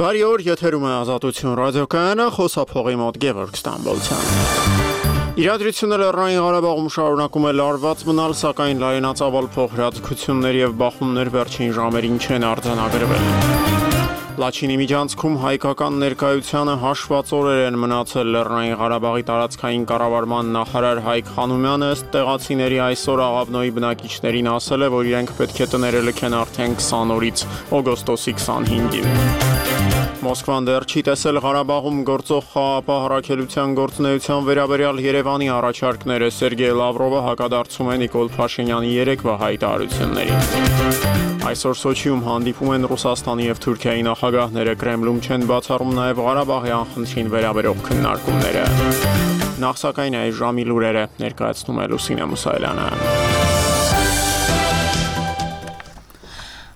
Բարի օր, եթերում է Ազատություն ռադիոկայանը, խոսափողի մոտ Գևորգ Ստամբոլցյան։ Իրադրությունը Լեռնային Ղարաբաղում շարունակում է լարված մնալ, սակայն լայնածավալ փոխհրաձգություններ եւ բախումներ վերջին ժամերին չեն արձանագրվել։ Լաչինի միջանցքում հայկական ներկայությանը հաշված օրեր են մնացել Լեռնային Ղարաբաղի տարածքային կառավարման նախարար Հայկ Խանոմյանը ըստ տեղացիների այսօր Աղավնոյի բնակիչներին ասել է, որ իրենք պետք է տները լքեն արդեն 20 օրից օգոստոսի 25-ին։ Մոսկվան դեռ չի տեսել Ղարաբաղում գործող խաղաղապահ առաքելության գործունեության վերաբերյալ Երևանի առաջարկները։ Սերգեյ Լավրովը հակադարձում է Նիկոլ Փաշինյանի երեկվա հայտարարություններին։ Այսօր Սոչիում հանդիպում են Ռուսաստանի եւ Թուրքիայի նախագահները, Կրեմլում չեն բացառում նաեւ Ղարաբաղի անխնդրին վերաբերող քննարկումները։ Նախ սակայն այս ժամի լուրերը ներկայացնում է Լուսինե Մուսայելյանը։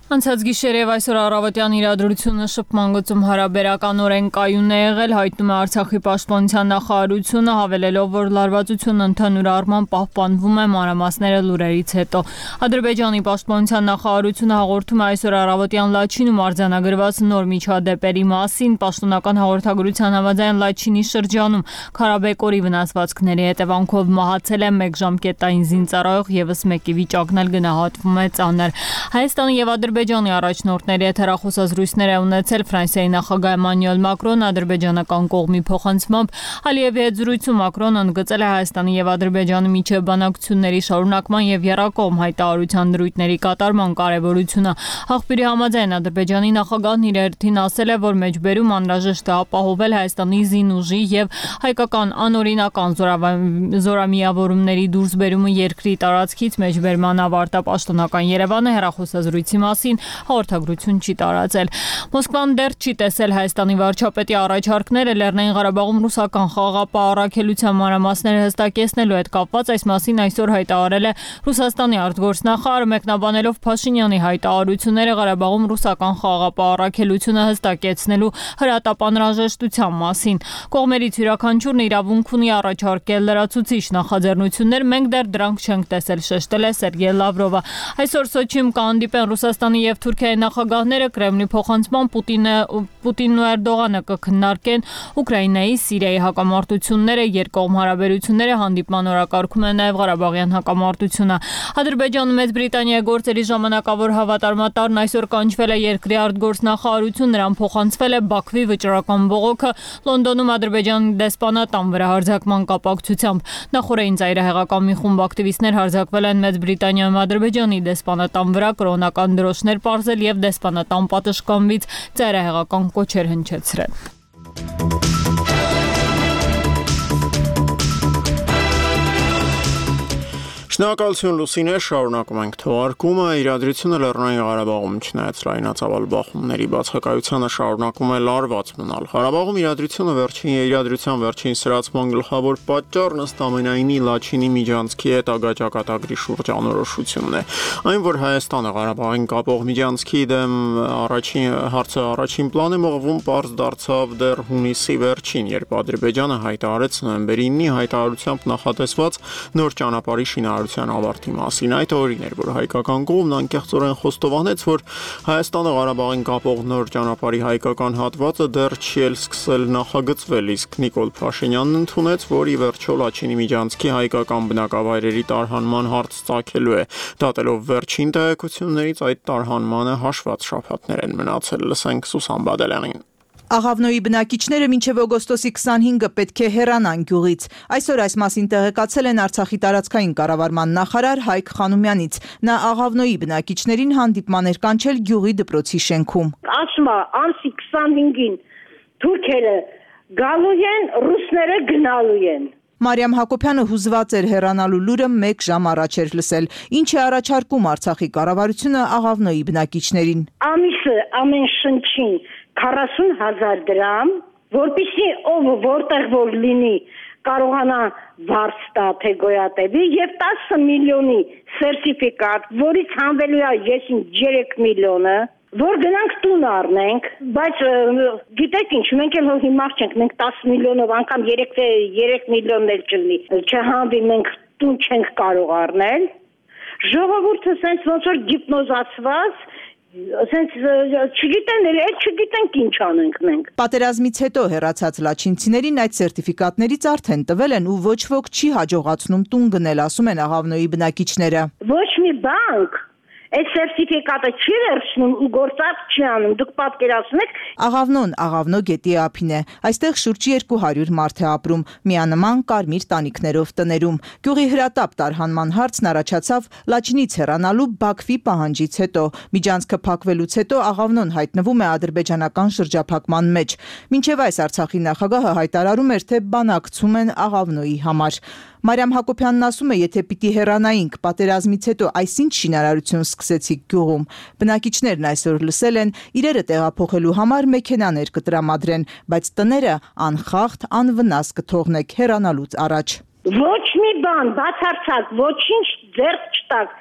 Անցած գիշեր եւ այսօր առավոտյան իրադրությունը շփման գծում հարաբերականորեն կայուն է եղել, հայտնում է Արցախի պաշտպանության նախարարությունը, հավելելով, որ լարվածությունն ընդհանուր առմամբ պահպանվում է, մանրամասները լուրերից հետո։ Ադրբեջանի պաշտպանության նախարարությունը հաղորդում է այսօր առավոտյան Լաչինում արձանագրված նոր միջադեպերի մասին, պաշտոնական հաղորդագրության համաձայն Լաչինի շրջանում Քարաբեկորի վնասվածքների հետևանքով մահացել է 1 ժամկետային զինծառայող, եւս մեկի վիճակն էլ գնահատվում է ծանր։ Հայաստանի եւ Ադրբեջանի առաջնորդների հետ հեռախոսազրույցներ է ունեցել Ֆրանսիայի նախագահ Էմանուել Մակրոն, ադրբեջանական կողմի փոխանցմամբ Ալիևի հետ զրույցում Մակրոնը ընդգծել է Հայաստանի եւ Ադրբեջանի միջև բանակցությունների շարունակման եւ եռակողմ հայտարարության դրույթների կատարման կարեւորությունը։ Աղբյուրի համաձայն Ադրբեջանի նախագահն իր հերթին ասել է, որ մեջբերում անհրաժեշտ է ապահովել Հայաստանի զինուժի եւ հայկական անօրինական զորամիավորումների դուրսբերումը երկրի տարածքից մեջբերման ավարտապաշտոնական Երևանը հեռախոսազրույցի մասին հաղորդագրություն չի տարածել։ Մոսկվան դեռ չի տեսել Հայաստանի վարչապետի առաջարկները Լեռնային Ղարաբաղում ռուսական խաղաղապահ առաքելության մանրամասները հստակեցնելու հետ կապված, այս մասին այսօր հայտարարել է Ռուսաստանի արտգործնախարարը, մեկնաբանելով Փաշինյանի հայտարարությունները Ղարաբաղում ռուսական խաղաղապահ առաքելությունը հստակեցնելու հրատապ անհրաժեշտության մասին։ Կողմերից յուրաքանչյուրն իրավունք ունի առաջարկել լրացուցիչ նախաձեռնություններ, մենք դեռ դրանք չենք տեսել, շեշտել է Սերգեյ Լավրովը։ Այսօր Սոչիում կհանդիպեն Ռուսաստանի եւ Թուրքիայի նախագահները, Կրեմլի փոխանցմամբ Պուտինն ու Էրդողանը կքննարկեն Ուկրաինայի, Սիրիայի հակամարտությունները, երկկողմ հարաբերությունները, հանդիպման օրակարգում է նաեւ Ղարաբաղյան հակամարտությունը։ Ադրբեջանը Մեծ Բրիտանիայի գործերի ժամանակավոր հավատարմատարն այսօր կանչվել է երկրի արտգործնախարարություն, նրան փոխանցվել է Բաքվի վճռական բողոքը Լոնդոնում Ադրբեջանի դեսպանատան վրա հարձակման կապակցությամբ։ Նախորդին ծայրահեղական մի խումբ ակտիվիստներ հարձակվել են Մեծ Բրիտանիայում Ադրբեջանի դեսպանատան վրա, կրոնական դրոշներ պարզել եւ դեսպանատան պատշգամբից ծայրահեղական կոչեր հնչեցրել։ Շնորհակալություն Լուսինե, շարունակում ենք թողարկումը։ Իրադրությունը Լեռնային Ղարաբաղում չնայած լայնածավալ բախումների բացակայությանը շարունակում է լարված մնալ։ Ղարաբաղում իրադրության վերջին սրացման գլխավոր պատճառն ըստ ամենայնի Լաչինի միջանցքի հետագա ճակատագրի շուրջ անորոշությունն է։ Այն, որ Հայաստանը Ղարաբաղին կապող միջանցքի դեմ առաջին պլան է մղվում, պարզ դարձավ դեռ հունիսի վերջին, երբ Ադրբեջանը հայտարարեց նոյեմբերի 9-ի հայտարարությամբ նախատեսված նոր ճանապարհի շինարարության ավարտի մասին։ Այդ օրին էր, որ հայկական կողմն անկեղծորեն խոստովանեց, որ Հայաստանը Ղարաբաղին կապող նոր ճանապարհի հայկական հատվածը դեռ չի էլ սկսել նախագծվել, իսկ Նիկոլ Փաշինյանն ընդունեց, որ ի վերջո Լաչինի միջանցքի հայկական բնակավայրերի տարհանման հարց ծագելու է։ Դատելով վերջին տեղեկություններից, այդ տարհանմանը հաշված շաբաթներ են մնացել։ Լսենք Սուսան Բադալյանին։ Աղավնոյի բնակիչները մինչև օգոստոսի 25-ը պետք է հեռանան գյուղից։ Այսօր այս մասին տեղեկացել են Արցախի տարածքային կառավարման նախարար Հայկ Խանոմյանից։ Նա Աղավնոյի բնակիչներին հանդիպման էր կանչել գյուղի դպրոցի շենքում։ Ասում է, ամսի 25-ին թուրքերը գալու են, ռուսները գնալու են։ Մարիամ Հակոբյանը հուզված էր հեռանալու լուրը 1 ժամ առաջ էր լսել։ Ինչ է առաջարկում Արցախի կառավարությունը Աղավնոյի բնակիչներին։ Ամիսը ամեն շնչին 40,000 դրամ, որպեսզի ով որտեղ որ լինի կարողանա վարձ տա թե գոյատևի եւ 10 միլիոնի սերտիֆիկատ, որից հանվելու է 3 միլիոնը, որ գնանք տուն առնենք, բայց գիտեք ինչ, մենք էլ հիմար չենք, մենք 10 միլիոնով անգամ 3 միլիոնն էլ չլինի, չհանվի, մենք տուն չենք կարող առնել։ Ժողովուրդը սենց ոնց որ գիպնոզացված ասենց չգիտեն, չգիտենք ինչ անենք մենք։ Պատերազմից հետո հեռացած լաչինցիներին այդ սերտիֆիկատներից արդեն տվել են ու ոչ ոք չի հաջողացնում տուն գնել, ասում են Աղավնոյի բնակիչները։ Ոչ մի բանկ այդ սերտիֆիկատը չի վերցնում ու գործած չի անում, դուք պատկերացնեք։ Աղավնոն Աղավնո գետի ափին է, այստեղ շուրջ 200 մարդ է ապրում, միանման կարմիր տանիքներով տներում։ Գյուղի հրատապ տարհանման հարցն առաջացավ Լաչինից հեռանալու Բաքվի պահանջից հետո։ Միջանցքը փակվելուց հետո Աղավնոն հայտնվում է ադրբեջանական շրջափակման մեջ։ Մինչև այս Արցախի նախագահը հայտարարում էր, թե բանակցում են Աղավնոյի համար։ Մարիամ Հակոբյանն ասում է, եթե պիտի հեռանայինք պատերազմից հետո այսինչ շինարարություն սկսեցիք գյուղում։ Բնակիչներն այսօր լսել են, իրերը տեղափոխելու համար մեքենաներ կտրամադրեն, բայց տները անխախտ, անվնաս կթողնեք հեռանալուց առաջ։ Ոչ մի բան, բացարձակ, ոչինչ ձեռք չտաք։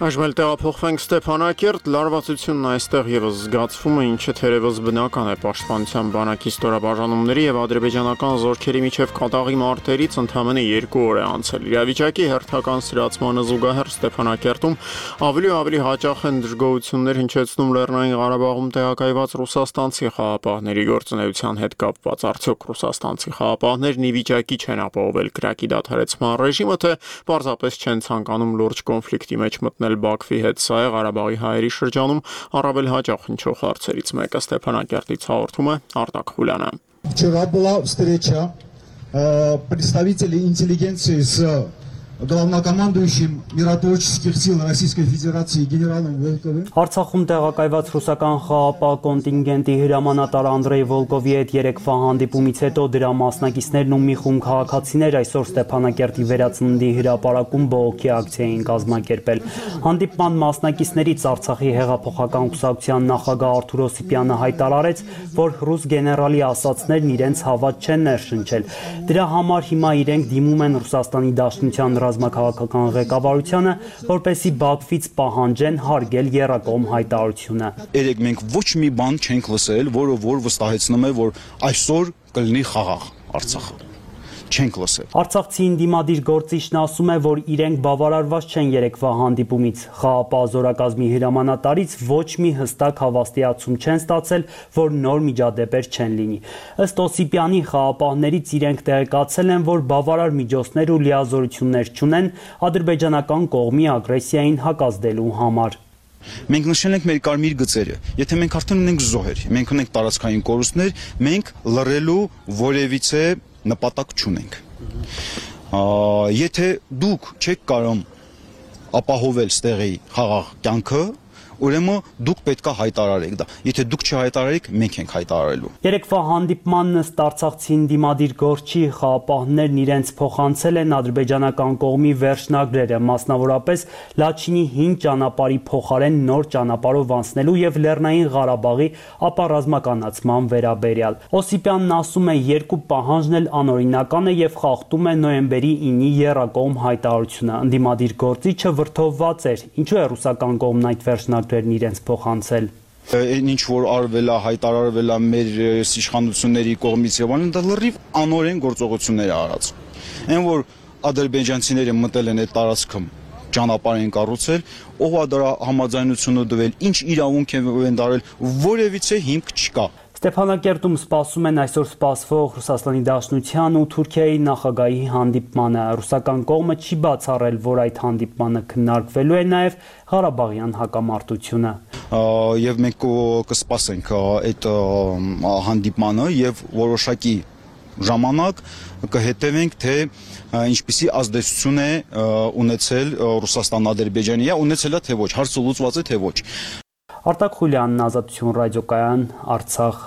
Այժմ տեղափոխվենք Ստեփանակերտ, լարվածությունն այստեղ եւս զգացվում է, ինչը թերևս բնական է պաշտպանության բանակի ստորաբաժանումների եւ ադրբեջանական զորքերի միջև կատաղի մարտերից ընդամենը 2 օր է անցել։ Իրավիճակի հերթական սրացմանը զուգահեռ Ստեփանակերտում ավելի ու ավելի հաճախ են դժգոհություններ հնչեցնում Լեռնային Ղարաբաղում տեղակայված ռուսաստանցի խաղապահների գործունեության հետ կապված։ Արդյոք ռուսաստանցի խաղապահներն ի վիճակի չեն ապահովել կրակի դադարեցման ռեժիմը, թե պարզապես չեն ցանկանում լուրջ կոնֆլիկտի մեջ մտնել Բաքվի հետ։ Սա է Ղարաբաղի հայերի շրջանում առավել հաճախ հնչող հարցերից մեկը։ Ստեփանակերտից հաղորդում է Արտակ Խուլյանը։ Вчера была встреча представителей интеллигенции с главнокомандующим миротворческих сил Российской Федерации генералом Волковым. Արցախում տեղակայված ռուսական խաղապահ կոնտինգենտի հրամանատար Անդրեյ Վոլկովի հետ երեկվա հանդիպումից հետո դրա մասնակիցներն ու մի խումբ քաղաքացիներ այսօր Ստեփանակերտի վերածննդի հրապարակում բողոքի ակցիա էին կազմակերպել։ Հանդիպման մասնակիցներից Արցախի հեղափոխական կուսակցության նախագահ Արթուր Օսիպյանը հայտարարեց, որ ռուս գեներալի ասացներն իրենց հավատ չեն ներշնչել։ Դրա համար հիմա իրենք դիմում են Ռուսաստանի Դաշնության ռազմաքաղաքական ղեկավարությանը, որպեսզի Բաքվից պահանջեն հարգել եռակողմ հայտարարությունը։ Երեք մենք ոչ մի բան չենք լսել, որը վստահեցնում է, որ այսօր կլինի խաղաղ Արցախը։ Չենք լսել։ Արցախցի ինդիմադիր գործիչն ասում է, որ իրենք բավարարված չեն երեկվա հանդիպումից։ Խաղապահ զորակազմի հրամանատարից ոչ մի հստակ հավաստիացում չեն ստացել, որ նոր միջադեպեր չեն լինի։ Ըստ Օսիպյանի, խաղապահներից իրենք տեղեկացել են, որ բավարար միջոցներ ու լիազորություններ չունեն ադրբեջանական կողմի ագրեսիային հակազդելու համար։ Մենք նշել ենք մեր կարմիր գծերը։ Եթե մենք արդեն ունենք զոհեր, մենք ունենք տարածքային կորուստներ, մենք լռելու որևիցե նպատակ չունենք։ Եթե դուք չեք կարող ապահովել ստեղի խաղաղ կյանքը, ուրեմն դուք պետք է հայտարարեք դա։ Եթե դուք չհայտարարեք, մենք ենք հայտարարելու։ Երեկվա հանդիպմանն ըստ Արցախցի ինդիմադիր գործչի խաղապահներն իրենց փոխանցել են ադրբեջանական կողմի վերջնագրերը, մասնավորապես Լաչինի 5 ճանապարհի փոխարեն նոր ճանապարհով անցնելու եւ Լեռնային Ղարաբաղի ապառազմականացման վերաբերյալ։ Օսիպյանն ասում է, երկու պահանջն էլ անօրինական է եւ խախտում է նոյեմբերի 9-ի եռակողմ հայտարարությունը։ Ինդիմադիր գործիչը վրդովված էր, ինչու է ռուսական կողմն այդ վերջնագրերն իրենց փոխանցել։ Ինչ որ արվել է, հայտարարվել է մեր իշխանությունների կողմից եւ այլն, դա լրիվ անօրեն գործողություններ է արած։ Այն որ ադրբեջանցիները մտել են այդ տարածքում, ճանապարհ են կառուցել, ով է դրա համաձայնությունը տվել, ինչ իրավունք են դարել, որևիցե հիմք չկա։ Ստեփանակերտում սպասում են այսօր սպասվող Ռուսաստանի Դաշնության ու Թուրքիայի նախագահի հանդիպմանը։ Ռուսական կողմը չի բացառել, որ այդ հանդիպմանը քննարկվելու է նաև Ղարաբաղյան հակամարտությունը։ Եվ մենք կսպասենք այդ հանդիպմանը եւ որոշակի ժամանակ կհետևենք, թե ինչպիսի ազդեցություն է ունեցել Ռուսաստան Ադրբեջանի, ունեցել է թե ոչ, հարցը լուծված է թե ոչ։ Արտակ Խուլյանն, Ազատություն ռադիոկայան, Արցախ։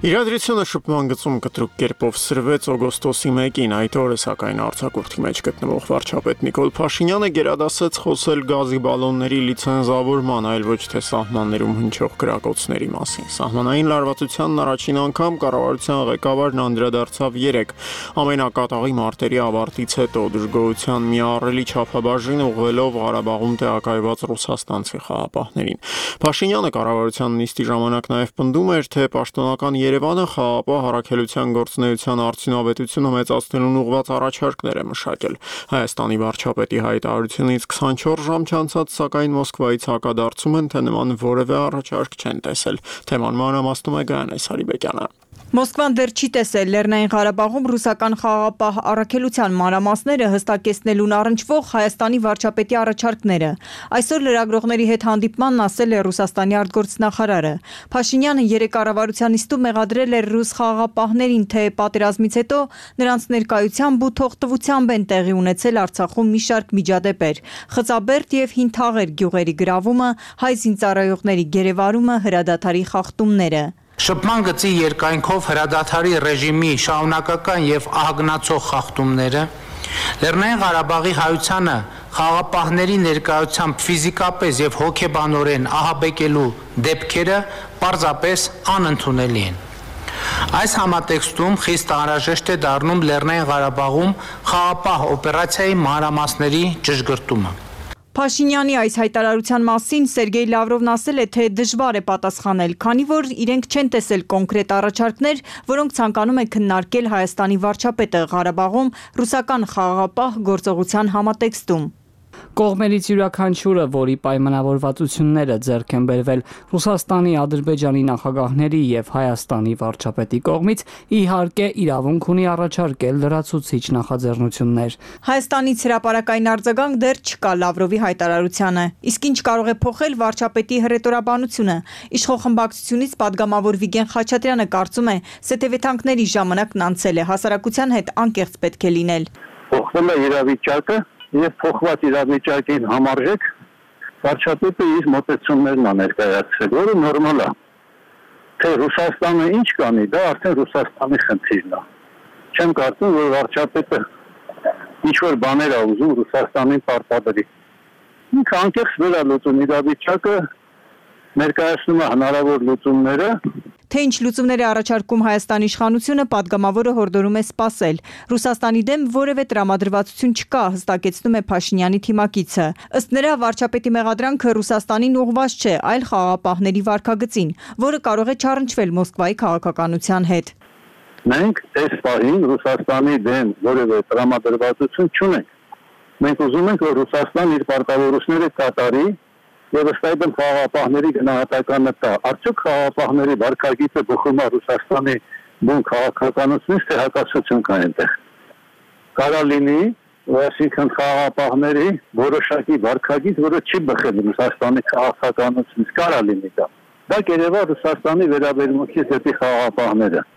Իրադրությունը շփման գծում կտրուկ կերպով սրվեց օգոստոսի 1-ին, այդ օրը սակայն արձակուրդի մեջ գտնվող վարչապետ Նիկոլ Փաշինյանը գերադասեց խոսել գազի բալոնների լիցենզավորման, այլ ոչ թե սահմաններում հնչող կրակոցների մասին։ Սահմանային լարվածությանն առաջին անգամ կառավարության ղեկավարն անդրադարձավ 3 ամենակատաղի մարտերի ավարտից հետո դժգոհության մի ահռելի չափաբաժին ուղղելով Ղարաբաղում տեղակայված ռուսաստանցի խաղապահներին։ Փաշինյանը կառավարության նիստի ժամանակ նաև պնդում էր, թե պաշտոնական Երևանը խաղապահ առաքելության գործունեության արդյունավետությունը մեծացնելուն ուղղված առաջարկներ է մշակել։ Հայաստանի վարչապետի հայտարարությունից 24 ժամ չանցած, սակայն Մոսկվայից հակադարձում են, թե նման որևէ առաջարկ չեն տեսել։ Թեման մանրամասնում է Գայանե Սարիբեկյանը։ Մոսկվան դեռ չի տեսել Լեռնային Ղարաբաղում ռուսական խաղապահ առաքելության մանրամասները հստակեցնելուն առնչվող Հայաստանի վարչապետի առաջարկները։ Այսօր լրագրողների հետ հանդիպմանն ասել է Ռուսաստանի արտգործնախարարը։ Փաշինյանը 3 կառավարության նիստում մեղադրել էր ռուս խաղապահներին, թե պատերազմից հետո նրանց ներկայությամբ ու թողտվությամբ են տեղի ունեցել Արցախում մի շարք միջադեպեր՝ Խծաբերդ եւ Հինթաղեր գյուղերի գրավումը, հայ զինծառայողների գերեվարումը, հրադադարի խախտումները։ Շփման գծի երկայնքով հրադադարի ռեժիմի շարունակական եւ ահագնացող խախտումները, Լեռնային Ղարաբաղի հայությանը խաղապահների ներկայությամբ ֆիզիկապես եւ հոգեբանորեն ահաբեկելու դեպքերը պարզապես անընդունելի են։ Այս համատեքստում խիստ անհրաժեշտ է դառնում Լեռնային Ղարաբաղում խաղապահ օպերացիայի մանրամասների ճշգրտումը։ Փաշինյանի այս հայտարարության մասին Սերգեյ Լավրովն ասել է, թե դժվար է պատասխանել, քանի որ իրենք չեն տեսել կոնկրետ առաջարկներ, որոնք ցանկանում է քննարկել Հայաստանի վարչապետը Ղարաբաղում ռուսական խաղաղապահ գործողության համատեքստում։ Կողմերից յուրաքանչյուրը, որի պայմանավորվածությունները ձեռք են բերվել Ռուսաստանի, Ադրբեջանի նախագահների եւ Հայաստանի վարչապետի կողմից, իհարկե իրավունք ունի առաջարկել լրացուցիչ նախաձեռնություններ։ Հայաստանից հրապարակային արձագանք դեռ չկա Լավրովի հայտարարությանը։ Իսկ ինչ կարող է փոխել վարչապետի հռետորաբանությունը։ Իշխող խմբակցությունից падգամավոր Վիգեն Խաչատրյանը կարծում է, սեթևեթանքների ժամանակն անցել է, հասարակության հետ անկեղծ պետք է լինել։ Փոխվել է իրավիճակը եւ փոխված իրավիճակին համարժեք վարչապետը իր մոտեցումներն է ներկայացրել, որը նորմալ է։ Թե Ռուսաստանը ինչ կանի, դա արդեն Ռուսաստանի խնդիրն է։ Չեմ կարծում, որ վարչապետը ինչ որ բաներ է ուզում Ռուսաստանին պարտադրի։ Ինքը անկեղծ վերալուծում իրավիճակը, ներկայացնում է հնարավոր լուծումները։ Թե ինչ լուծումներ է առաջարկում Հայաստանի իշխանությունը, падգամավորը հորդորում է սպասել։ Ռուսաստանի դեմ որևէ տրամադրվածություն չկա, հստակեցնում է Փաշինյանի թիմակիցը։ Ըստ նրա, վարչապետի մեղադրանքը Ռուսաստանին ուղղված չէ, այլ խաղաղապահների վարքագծին, որը կարող է չառնչվել Մոսկվայի քաղաքականության հետ։ Մենք այս պահին Ռուսաստանի դեմ որևէ տրամադրվածություն չունենք։ Մենք ուզում ենք, որ Ռուսաստան իր պարտավորությունները կատարի եւ ըստ այդմ խաղաղապահների գնահատականը տա։ Արդյոք խաղաղապահների վարքագիծը բխում է Ռուսաստանի բուն քաղաքականությունից, թե հակասություն կա այնտեղ։ Կարա լինի, այսինքն խաղաղապահների որոշակի վարքագիծ, որը չի բխել Ռուսաստանի քաղաքականությունից, կարա լինի դա։ Դա կերևա Ռուսաստանի վերաբերմունքից դեպի խաղաղապահները։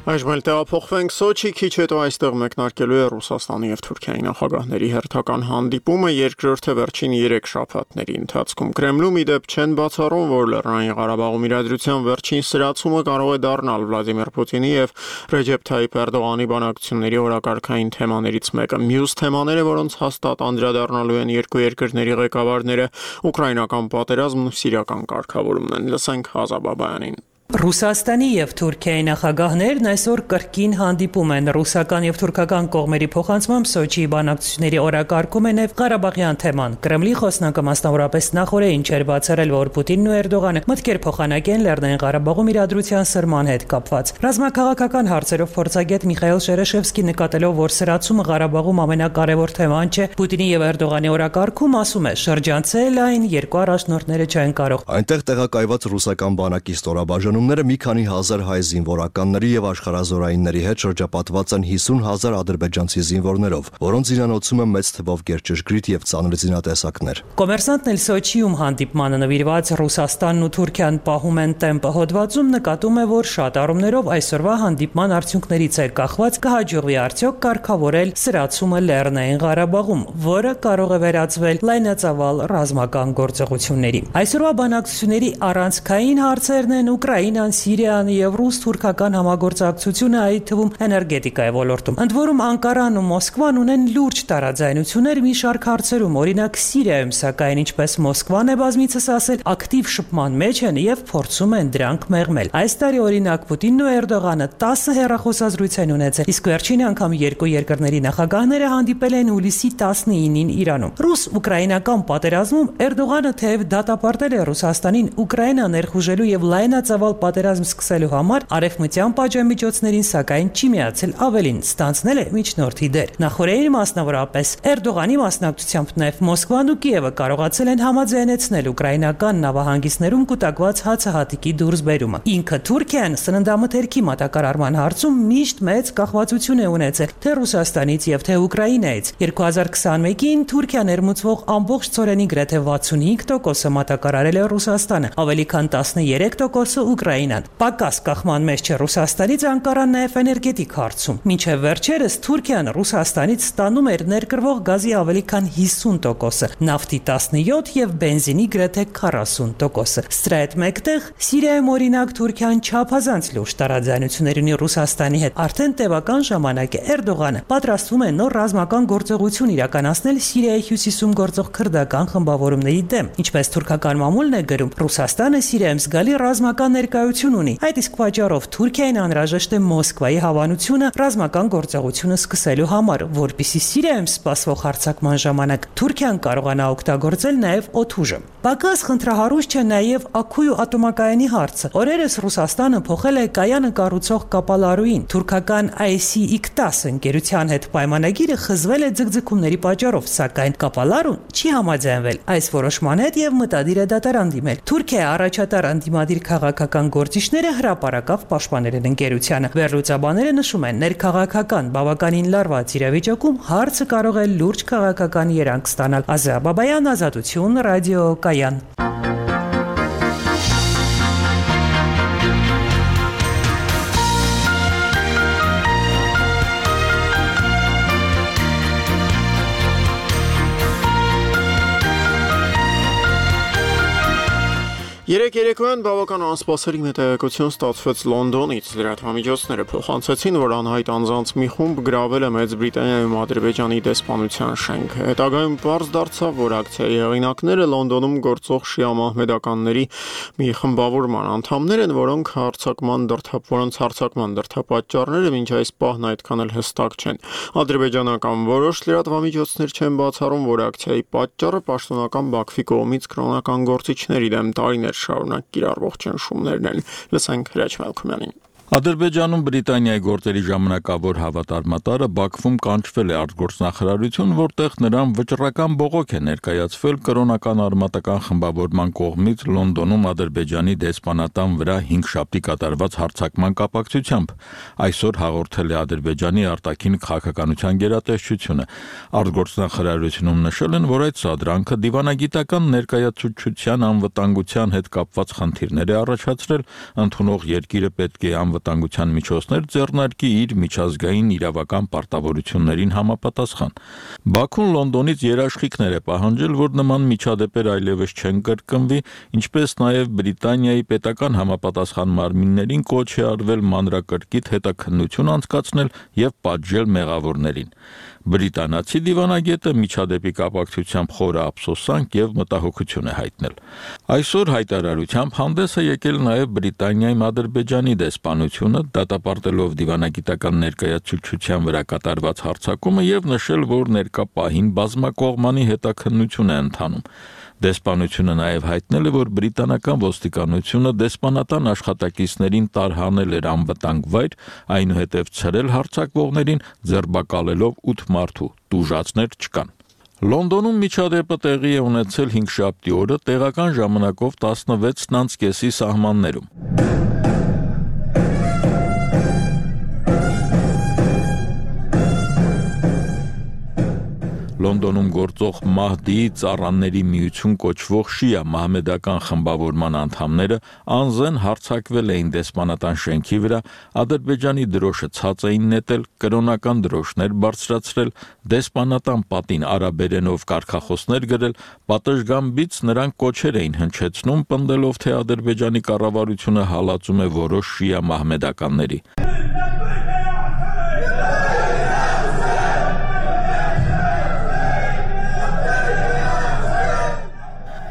Այժմ էլ տեղափոխվենք Սոչի, քիչ հետո այստեղ մեկնարկելու է Ռուսաստանի եւ Թուրքիայի նախագահների հերթական հանդիպումը երկրորդը վերջին 3 շաբաթների ընթացքում։ Կրեմլում ի դեպ չեն բացառում, որ Լեռնային Ղարաբաղում իրադրության վերջին սրացումը կարող է դառնալ Վլադիմիր Պուտինի եւ Ռեջեփ Թայիփ Էրդողանի բանակցությունների օրակարգային թեմաներից մեկը։ Մյուս թեմաները, որոնց հաստատ անդրադառնալու են երկու երկրների ղեկավարները, ուկրաինական պատերազմն ու սիրիական կարգավորումն են։ Լսենք Ազա Բաբայանին։ Ռուսաստանի եւ Թուրքիայի նախագահներն այսօր կրկին հանդիպում են ռուսական եւ թուրքական կողմերի փոխանցմամբ Սոչիի բանակցությունների օրակարգում է նաեւ Ղարաբաղյան թեման։ Կրեմլի խոսնակը մասնավորապես նախորդին չէր բացառել, որ Պուտինն ու Էրդողանը մտքեր փոխանակեն Լեռնային Ղարաբաղում իրադրության սրման հետ կապված։ Ռազմաքաղաքական հարցերով փորձագետ Միխայել Շերեշևսկի նկատելով, որ սրացումը Ղարաբաղում ամենակարևոր թեման չէ, Պուտինի եւ Էրդողանի օրակարգում ասում է, շրջանցել այն երկու առաջնորդները չեն կարող։ Այնտեղ տեղակայված ռուսական բանակի ստորաբաժանը Խմբանումները մի քանի հազար հայ զինվորականների եւ աշխարհազորայինների հետ շրջապատված են 50,000 ադրբեջանցի զինվորներով, որոնց զինանոցում է մեծ թվով գերճշգրիտ եւ ծանր զինատեսակներ։ Կոմերսանտն էլ Սոչիում հանդիպմանը նվիրված Ռուսաստանն ու Թուրքիան պահում են տեմպը հոդվածում նկատում է, որ շատ առումներով այսօրվա հանդիպման արդյունքներից է կախված կհաջողվի արդյոք կարգավորել սրացումը Լեռնային Ղարաբաղում, որը կարող է վերածվել լայնածավալ ռազմական գործողությունների։ Այսօրվա բանակցությունների առանցքային հարցերն են Ուկրաինան, Սիրիան եւ ռուս-թուրքական համագործակցությունը, այդ թվում էներգետիկայի ոլորտում։ Ընդ որում Անկարան ու Մոսկվան ունեն լուրջ տարաձայնություններ մի շարք հարցերում, օրինակ Սիրիայում, սակայն ինչպես Մոսկվան է բազմիցս ասել, ակտիվ շփման մեջ են եւ փորձում են դրանք մեղմել։ Այս տարի օրինակ Պուտինն ու Էրդողանը 10 հեռախոսազրույց են ունեցել, իսկ վերջին անգամ երկու երկրների նախագահները հանդիպել են հուլիսի 19-ին Իրանում։ Ռուս-ուկրաինական պատերազմում Էրդողանը թեև դատապարտել է Ռուսաստանին Ուկրաինա ներխուժելու եւ լայնածավալ պատերազմ սկսելու համար արևմտյան պատժամիջոցներին, սակայն չի միացել, ավելին ստանձնել է միջնորդի դեր։ Նախորդին մասնավորապես Էրդողանի մասնակցությամբ նաեւ Մոսկվան ու Կիևը կարողացել են համաձայնեցնել ուկրաինական նավահանգիստներում կուտակված հացահատիկի դուրսբերումը։ Ինքը Թուրքիան սննդամթերքի մատակարարման հարցում միշտ մեծ կախվածություն է ունեցել թե Ռուսաստանից եւ թե Ուկրաինայից։ 2021-ին Թուրքիա ներմուծվող ամբողջ ծորենի գրեթե 65%-ը մատակարարել է Ռուսաստանը, ավելի քան 13%-ը Ուկրաինան։ Պակաս կախման մեջ չէ Ռուսաստանից Անկարան նաեւ էներգետիկ հարցում։ Մինչեւ վերջերս Թուրքիան Ռուսաստանից ստանում էր ներկրվող գազի ավելի քան 50%-ը, նավթի 17% եւ բենզինի գրեթե 40%-ը։ Սրա հետ մեկտեղ Սիրիայում օրինակ Թուրքիան չափազանց լուրջ տարաձայնություններ ունի Ռուսաստանի հետ։ Արդեն տևական ժամանակ է Էրդողանը պատրաստվում է նոր ռազմական գործողություն իրականացնել Սիրիայի հյուսիսում գործող քրդական խմբավորումների դեմ։ Ինչպես թուրքական մամուլն է գրում, Ռուսաստանը Սիրիայում զգալի ռազմական ներկայություն ունի։ Այդ իսկ պատճառով Թուրքիային անհրաժեշտ է Մոսկվայի հավանությունը ռազմական գործողությունը սկսելու համար, որպեսզի Սիրիայում սպասվող հարձակման ժամանակ Թուրքիան կարողանա օգտագործել նաև օդուժը։ Պակաս խնդրահարույց չէ նաև Աքույու ատոմակայանի հարցը։ Օրերս Ռուսաստանը փոխել է կայանը կառուցող կապալարուին։ Թուրքական IC-10 ընկերության հետ պայմանագիրը խզվել է ձգձգումների պատճառով, սակայն կապալարուն չի համաձայնվել այս որոշման հետ եւ մտադիր է դատարան դիմել։ Թուրքիայի առաջատար անդիմադիր քաղաքական գործիչները հրապարակավ պաշտպանել են ընկերությանը։ Վերլուծաբանները նշում են, ներքաղաքական բավականին լարված իրավիճակում հարցը կարող է լուրջ քաղաքական երանգ ստանալ։ Ազա Բաբայան, Ազատություն, Ռադիո Կայան։ Երեք երեկոյան բավական անսպասելի մեթեորոլոգիություն ստացվեց Լոնդոնից։ Լրատվամիջոցները փոխանցեցին, որ անհայտ անձանց մի խումբ գրավել է Մեծ Բրիտանիայում Ադրբեջանի դեսպանության շենքը։ Հետագայում պարզ դարձավ, որ ակցիայի հեղինակները Լոնդոնում գործող շիա մահմեդականների մի խմբավորման անդամներ են, որոնց հարձակման դրդապատճառները մինչ այս պահն այդքան էլ հստակ չեն։ Ադրբեջանական որոշ լրատվամիջոցներ չեն բացառում, որ ակցիայի պատճառը պաշտոնական Բաքվի կողմից կրոնական գործիչների դեմ տարիներ շարունակ կիրառվող ճնշումներն են։ Լսենք Հրաչ Մալքումյանին։ Ադրբեջանում Բրիտանիայի գործերի ժամանակավոր հավատարմատարը Բաքվում կանչվել է արտգործնախարարություն, որտեղ նրան վճռական բողոք է ներկայացվել կրոնական արմատական խմբավորման կողմից Լոնդոնում Ադրբեջանի դեսպանատան վրա 5 շաբթի կատարված հարձակման կապակցությամբ։ Այսօր հաղորդել է Ադրբեջանի արտաքին քաղաքականության գերատեսչությունը։ Արտգործնախարարությունում նշել են, որ այդ սադրանքը դիվանագիտական ներկայացուցչության անվտանգության հետ կապված խնդիրներ է առաջացրել, ընդունող երկիրը պետք է անվտանգության միջոցներ ձեռնարկի իր միջազգային իրավական պարտավորություններին համապատասխան։ Բաքուն Լոնդոնից երաշխիքներ է պահանջել, որ նման միջադեպեր այլևս չեն կրկնվի, ինչպես նաև Բրիտանիայի պետական համապատասխան մարմիններին կոչ է արվել մանրակրկիտ հետաքննություն անցկացնել եւ պատժել մեղավորներին։ Բրիտանացի դիվանագետը միջադեպի կապակցությամբ խորը ափսոսանք եւ մտահոգություն է հայտնել։ Այսօր հայտարարությամբ հանդես է եկել նաեւ Բրիտանիայի Ադրբեջանի դեսպանությունը, դատապարտելով դիվանագիտական ներկայացուցչության վրա կատարված հարձակումը եւ նշել, որ ներկա պահին բազմակողմանի հետաքննություն է ընթանում։ Դեսպանությունը նաև հայտնել է, որ բրիտանական ոստիկանությունը դեսպանատան աշխատակիցներին տարհանել էր անվտանգ վայր, այնուհետև ցրել հարձակվողներին, ձերբակալելով 8 մարդու, տուժածներ չկան։ Լոնդոնում միջադեպը տեղի է ունեցել 5 շաբթի օրը տեղական ժամանակով 16:30 սահմաններում։ Լոնդոնում գործող Մահդիի ծառաների միություն կոչվող շիա մահմեդական խմբավորման անդամները անզեն հարձակվել էին դեսպանատան շենքի վրա, Ադրբեջանի դրոշը ցած էին նետել, կրոնական դրոշներ բարձրացրել, դեսպանատան պատին արաբերենով կարգախոսներ գրել, պատշգամբից նրանք կոչեր էին հնչեցնում, պնդելով, թե Ադրբեջանի կառավարությունը հալածում է որոշ շիա մահմեդականների։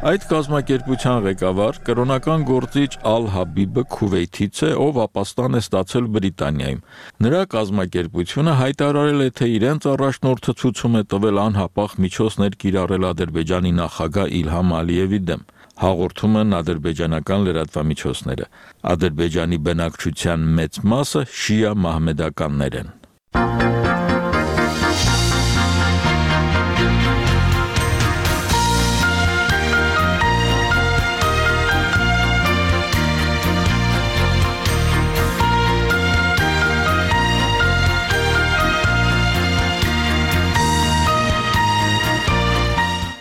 Այդ կազմակերպության ղեկավար կրոնական գործիչ Ալ-Հաբիբը Քուվեյթից է, ով ապաստան է ստացել Բրիտանիայում։ Նրա կազմակերպությունը հայտարարել է, թե իրենց առաջնորդը ցույցում է տվել անհապաղ միջոցներ կիրառել Ադրբեջանի նախագահ Իլհամ Ալիևի դեմ։ Հաղորդում են ադրբեջանական լրատվամիջոցները։ Ադրբեջանի բնակչության մեծ մասը շիա մահմեդականներ են։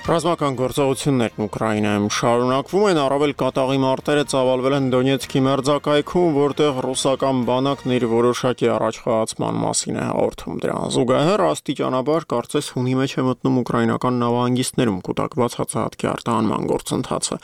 Ռազմական գործողություններն Ուկրաինայում շարունակվում են, առավել կատաղի մարտերը ծավալվել են Դոնեցկի մերձակայքում, որտեղ ռուսական բանակն իր որոշակի առաջխաղացման մասին է հաղորդում։ Դրան զուգահեռ աստիճանաբար կարծես հունի մեջ է մտնում ուկրաինական նավահանգիստներում կուտակված հացահատքի արտահանման գործընթացը։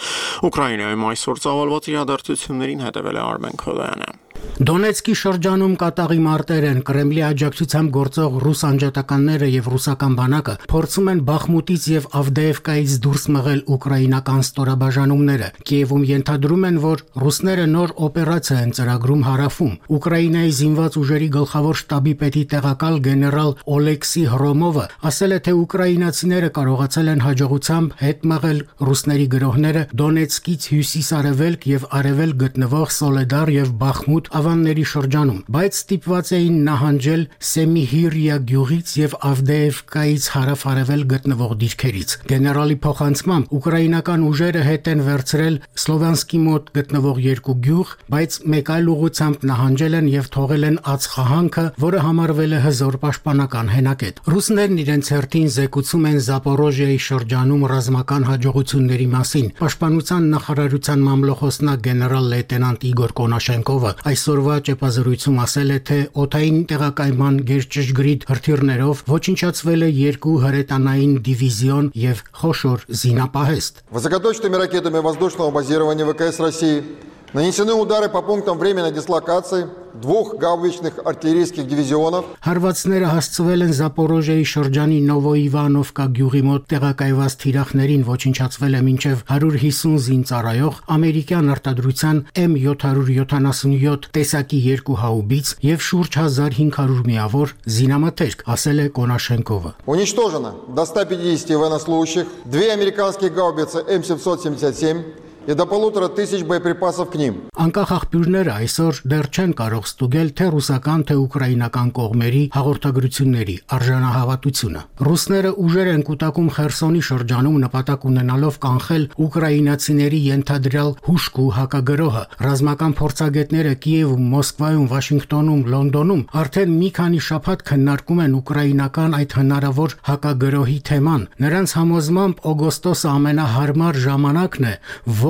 Ուկրաինայում այսօր ծավալված իրադարձություններին հետևել է Արմեն Քոդայանը։ Դոնեցկի շրջանում կատաղի մարտեր են, Կրեմլի աջակցությամբ գործող ռուս անջատականները եւ ռուսական բանակը փորձում են Բախմուտից եւ Ավդեևկայից դուրս մղել ուկրաինական ստորաբաժանումները։ Կիևում ենթադրում են, որ ռուսները նոր օպերացիա են ծրագրում հարավում։ Ուկրաինայի զինված ուժերի գլխավոր շտաբի պետի տեղակալ գեներալ Օլեքսի Հրոմովը ասել է, թե ուկրաինացիները կարողացել են հաջողությամբ հետ մղել ռուսների գրոհները Դոնեցկից հյուսիս-արևելք եւ արևելք գտնվող Սոլեդար եւ Բախմուտ ավանների շրջանում, բայց ստիպված էին նահանջել Սեմիհիրիա գյուղից եւ Ավդեևկայից հարավ-արևել գտնվող դիրքերից։ Գեներալի փոխանցմամբ ուկրաինական ուժերը հետ են վերցրել Սլովյանսկի մոտ գտնվող երկու գյուղ, բայց մեկ այլ ուղղությամբ նահանջել են եւ թողել են ածխահանքը, որը համարվել է հզոր պաշտպանական հենակետ։ Ռուսներն իրենց հերթին զեկուցում են Զապորոժիայի շրջանում ռազմական հաջողությունների մասին։ Պաշտպանության նախարարության մամլոխոսնակ գեներալ լեյտենանտ Իգոր Կոնաշենկովը այսօրվա ճեպազրույցում ասել է, թե օդային տեղակայման գերճշգրիտ հրթիռներով ոչնչացվել է 2 հրետանային դիվիզիոն եւ խոշոր զինապահեստ։ Высокоточными ракетами воздушного базирования ВКС России нанесены удары по пунктам временной дислокации 2 гаубичных артиллерийских дивизионов. Հարվածները հասցվել են Զապորոժիայի շրջանի Նովոիվանովկա գյուղի մոտ տեղակայված թիրախներին, ոչնչացվել է մինչև 150 զինծառայող ամերիկյան արտադրության M777 տեսակի 2 հաուբից եւ շուրջ 1500 միավոր զինամթերք, ասել է Կոնաշենկովը։ Уничтожено до 150 военнослужащих, 2 американские гаубицы М777 и до 1500 боеприпасов к ним. Անկախ աղբյուրները այսօր դեռ չեն կարող ստուգել թե ռուսական, թե ուկրաինական կողմերի հաղորդագրությունների արժանահավատությունը։ Ռուսները ուժեր են կուտակում Խերսոնի շրջանում նպատակ ունենալով կանխել ուկրաինացիների ենթադրյալ հուշկու հակագրոհը։ Ռազմական փորձագետները Կիևում, Մոսկվայում, Վաշինգտոնում, Լոնդոնում արդեն մի քանի շաբաթ քննարկում են ուկրաինական այդ հնարավոր հակագրոհի թեման։ Նրանց համոզմամբ օգոստոսը ամենահարմար ժամանակն է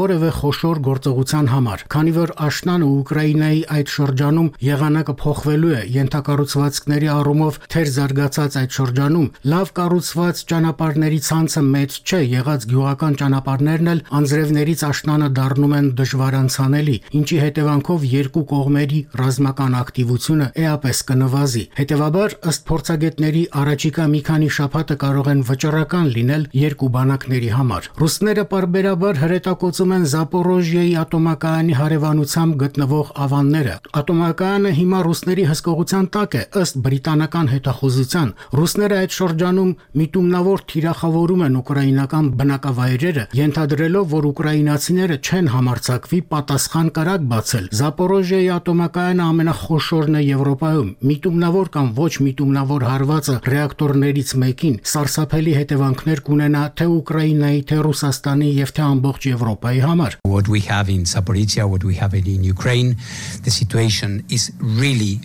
որևէ խոշոր գործողության համար, քանի որ աշնանը Ուկրաինայի այդ շրջանում եղանակը փոխվելու է, ենթակառուցվածքների առումով թեր զարգացած այդ շրջանում լավ կառուցված ճանապարհների ցանցը մեծ չէ, եղած գյուղական ճանապարհներն էլ անձրևներից աշնանը դառնում են դժվարանցանելի, ինչի հետևանքով երկու կողմերի ռազմական ակտիվությունը էապես կնվազի։ Հետևաբար, ըստ փորձագետների, առաջիկա մի քանի շաբաթը կարող են վճռական լինել երկու բանակների համար։ Ռուսները պարբերաբար հրետակոծում են Զապորոժիայի ատոմակայանի հարևանությամբ գտնվող ավանները։ Ատոմակայանը հիմա ռուսների հսկողության տակ է, ըստ բրիտանական հետախուզության։ Ռուսները այդ շրջանում միտումնավոր թիրախավորում են ուկրաինական բնակավայրերը, ենթադրելով, որ ուկրաինացիները չեն համարձակվի պատասխան կրակ բացել։ Զապորոժիայի ատոմակայանը ամենախոշորն է Եվրոպայում։ Միտումնավոր կամ ոչ միտումնավոր հարվածը ռեակտորներից մեկին սարսափելի հետևանքներ կունենա թե Ուկրաինայի, թե Ռուսաստանի եւ թե ամբողջ Եվրոպայի Ռուսիայի համար։ What we have in Zaporizhia, what we have in Ukraine, the situation is really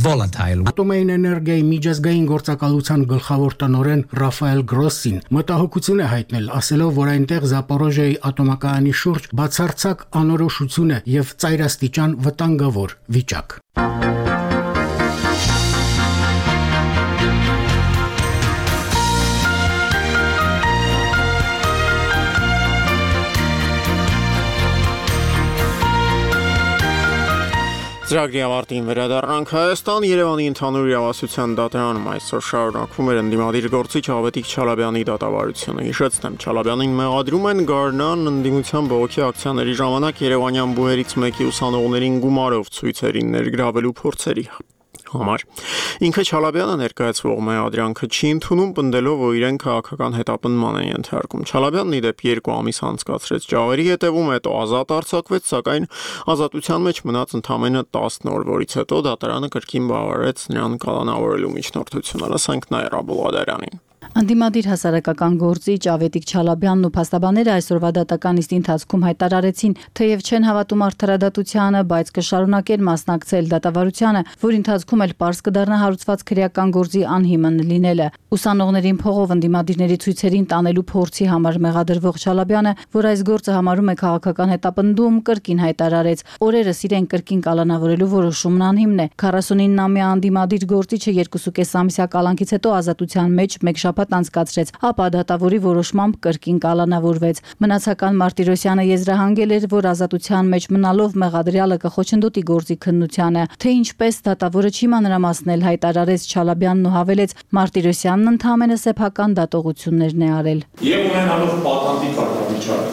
volatile. Ատոմային էներգիայի միջազգային գործակալության գլխավոր տնօրեն Ռաֆայել Գրոսին մտահոգություն է հայտնել, ասելով, որ այնտեղ Զապորոժիայի ատոմակայանի շուրջ բացարձակ անորոշություն է եւ ծայրաստիճան վտանգավոր վիճակ։ Ծրագրի ավարտին վերադառնանք Հայաստան Երևանի ընդհանուր իրավասության դատարանում այսօր շարունակվում էր ընդդիմադիր գործիչ Ավետիք Չալաբյանի դատավարությունը։ Հիշեցնեմ, Չալաբյանին մեղադրում են Գառնան ընդդիմության բողոքի ակցիաների ժամանակ երևանյան բուհերից մեկի ուսանողներին գումարով ցույցերին ներգրավելու փորձերի համար։ Ինքը Չալաբյանը ներկայացվող մեղադրանքը չի ընդունում, պնդելով, որ իրեն քաղաքական հետապնդման են ենթարկում։ Չալաբյանն ի դեպ 2 ամիս անցկացրեց ճաղերի հետևում, հետո ազատ արձակվեց, սակայն ազատության մեջ մնաց ընդամենը 10 օր, որից հետո դատարանը կրկին բավարարեց նրան կալանավորելու միջնորդությունը։ Լսենք Նաիրա Բուլղադարյանին։ Անդիմադիր հասարակական գործիչ Ավետիք Չալաբյանն ու փաստաբանները այսօրվա դատական նիստի ընթացքում հայտարարեցին, թեև չեն հավատում արդարադատությանը, բայց կշարունակեն մասնակցել դատավարությանը, որի ընթացքում էլ պարզ կդառնա հարուցված քրեական գործի անհիմն լինելը։ Ուսանողներին փողով ընդդիմադիրների ցույցերին տանելու փորձի համար մեղադրվող Չալաբյանը, որ այս գործը համարում է քաղաքական հետապնդում, կրկին հայտարարեց, օրերս իրեն կրկին կալանավորելու որոշումն անհիմն է։ 49-ամյա անդիմադիր գործիչը 2.5 ամսյա կալանքից հետո ազատության մեջ մեկ շաբաթ անցկացրեց, ապա դատավորի որոշմամբ կրկին կալանավորվեց։ Մնացական Մարտիրոսյանը եզրահանգել էր, որ ազատության մեջ մնալով մեղադրյալը կխոչընդոտի գործի քննությանը, թե ինչպես դատավորը չի մանրամասնել, հայտարարեց Չալաբյանն ու հավելեց, Մարտիրոսյանն ընդհանրապես սեփական դատողություններն է արել։ Եվ ունենալով պատանդի կարգավիճակ,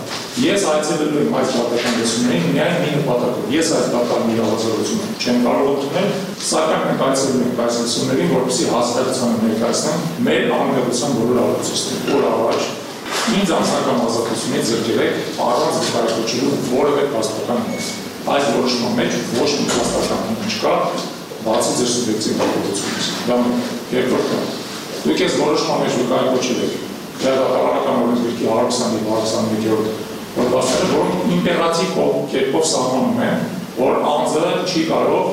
ես այցելելու եմ այս դատական լսումներին միայն մի նպատակով։ Ես այս դատական իրավասարությունը չեմ կարող ընդունել, սակայն մենք այցելում ենք այս լսումներին, որպեսզի հասարակությանը ներկայացնենք մեր անմեղության բոլոր առողջությունները։ Որ առաջ ինձ անձնական ազատությունից զրկել առանց վկայակոչելու որևէ փաստական հիմք։ Այս որոշման մեջ ոչ մի փաստական հիմք չկա, բացի ձեր սուբյեկտիվ դատողությունից։ Դա երկրորդը։ Դուք ես որոշման մեջ վկայակոչել եք դատավարական օրենսգրքի 120-121-րդ հոդվածները, որոնք իմպերատիվ կերպով սահմանում են, որ անձը չի կարող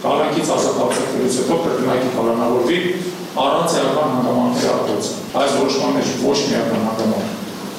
կալանքից ազատ արձակվելուց հետո կրկնակի կալանավորվի առանց էական հանգամանքների արտադրության։ Այս որոշման մեջ ոչ մի էական հանգամանք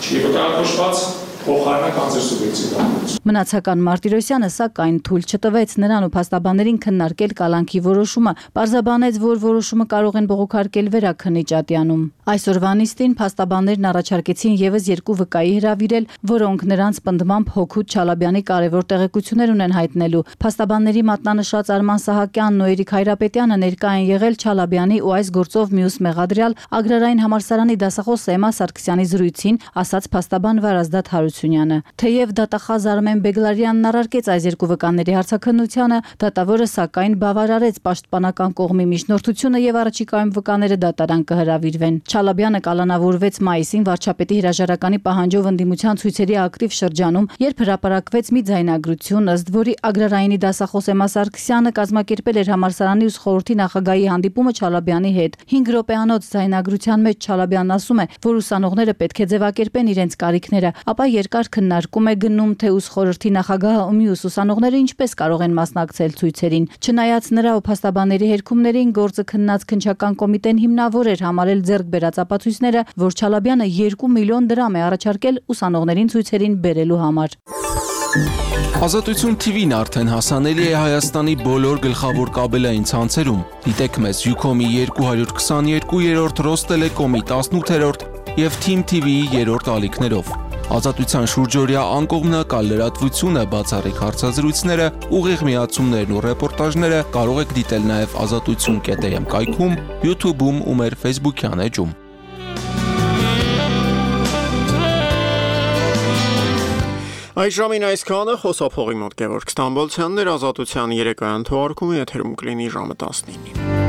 չի վկայակոչված, փոխարինական ձեր սուբյեկտիվ դատողություն։ Մնացական Մարտիրոսյանը սակայն թույլ չտվեց նրան ու փաստաբաններին քննարկել կալանքի որոշումը, պարզաբանեց, որ որոշումը կարող են բողոքարկել վերաքննիչ ատյանում։ Այսօրվա նիստին փաստաբաններն առաջարկեցին եւս 2 վկայի հրավիրել, որոնք նրանց պնդմամբ Հոքուտ Չալաբյանի կարևոր տեղեկություններ ունեն հայտնելու։ Փաստաբանների մատնանշած Արման Սահակյանն ու Էրիկ Հայրապետյանը ներկա են եղել Չալաբյանի ու այս գործով մյուս մեղադրյալ Ագրարային համալսարանի դասախոս Էմա Սարգսյանի զրույցին, ասաց փաստաբան Վարազդատ Հարությունյանը։ Թեև դատախազ Արմեն Բեգլարյանն առարկեց այս 2 վկաների հարցաքննությանը, դատավորը սակայն բավարարեց պաշտպանական կողմի միջնորդությունը եւ առաջիկայում վկաները դատարան կհրավիրվեն։ Չալաբյանը կալանավորվեց մայիսին վարչապետի հրաժարականի պահանջով ընդդիմության ցույցերի ակտիվ շրջանում, երբ հրապարակվեց մի ձայնագրություն, ըստ որի Ագրարայինի դասախոս Էմա Սարգսյանը կազմակերպել էր համալսարանի ուսխորհրդի նախագահի հանդիպումը Չալաբյանի հետ։ 5 րոպեանոց ձայնագրության մեջ Չալաբյանն ասում է, որ ուսանողները պետք է ձևակերպեն իրենց կարիքները, ապա երկար քննարկում է գնում, թե ուսխորհրդի նախագահը ու մյուս ուսանողները ինչպես կարող են մասնակցել ցույցերին։ Չնայած նրա ու փաստաբանների հերքումներին, գործը քննած քննչական կոմիտեն հիմնավոր էր համարել ձեռք բերած ապացույցները, որ Չալաբյանը 2 միլիոն դրամ է առաջարկել ուսանողներին ցույցերին բերելու համար։ Ազատություն TV-ն արդեն հասանելի է Հայաստանի բոլոր գլխավոր կաբելային ցանցերում։ Դիտեք մեզ Ucom-ի 222-րդ, Ռոստելեկոմի 18-րդ եւ Team TV-ի 3-րդ ալիքներով։ Ազատության շուրջօրյա անկողմնակալ լրատվությունը, բացառիկ հարցազրույցները, ուղիղ միացումներն ու ռեպորտաժները կարող եք դիտել նաև azatutsun.am կայքում, YouTube-ում ու մեր Facebook-յան էջում։ Այս ժամին այսքանը, խոսափողի մոտ Գևորգ Ստամբոլցյանն էր, Ազատության երեկոյան թողարկումը եթերում կլինի ժամը 19-ին։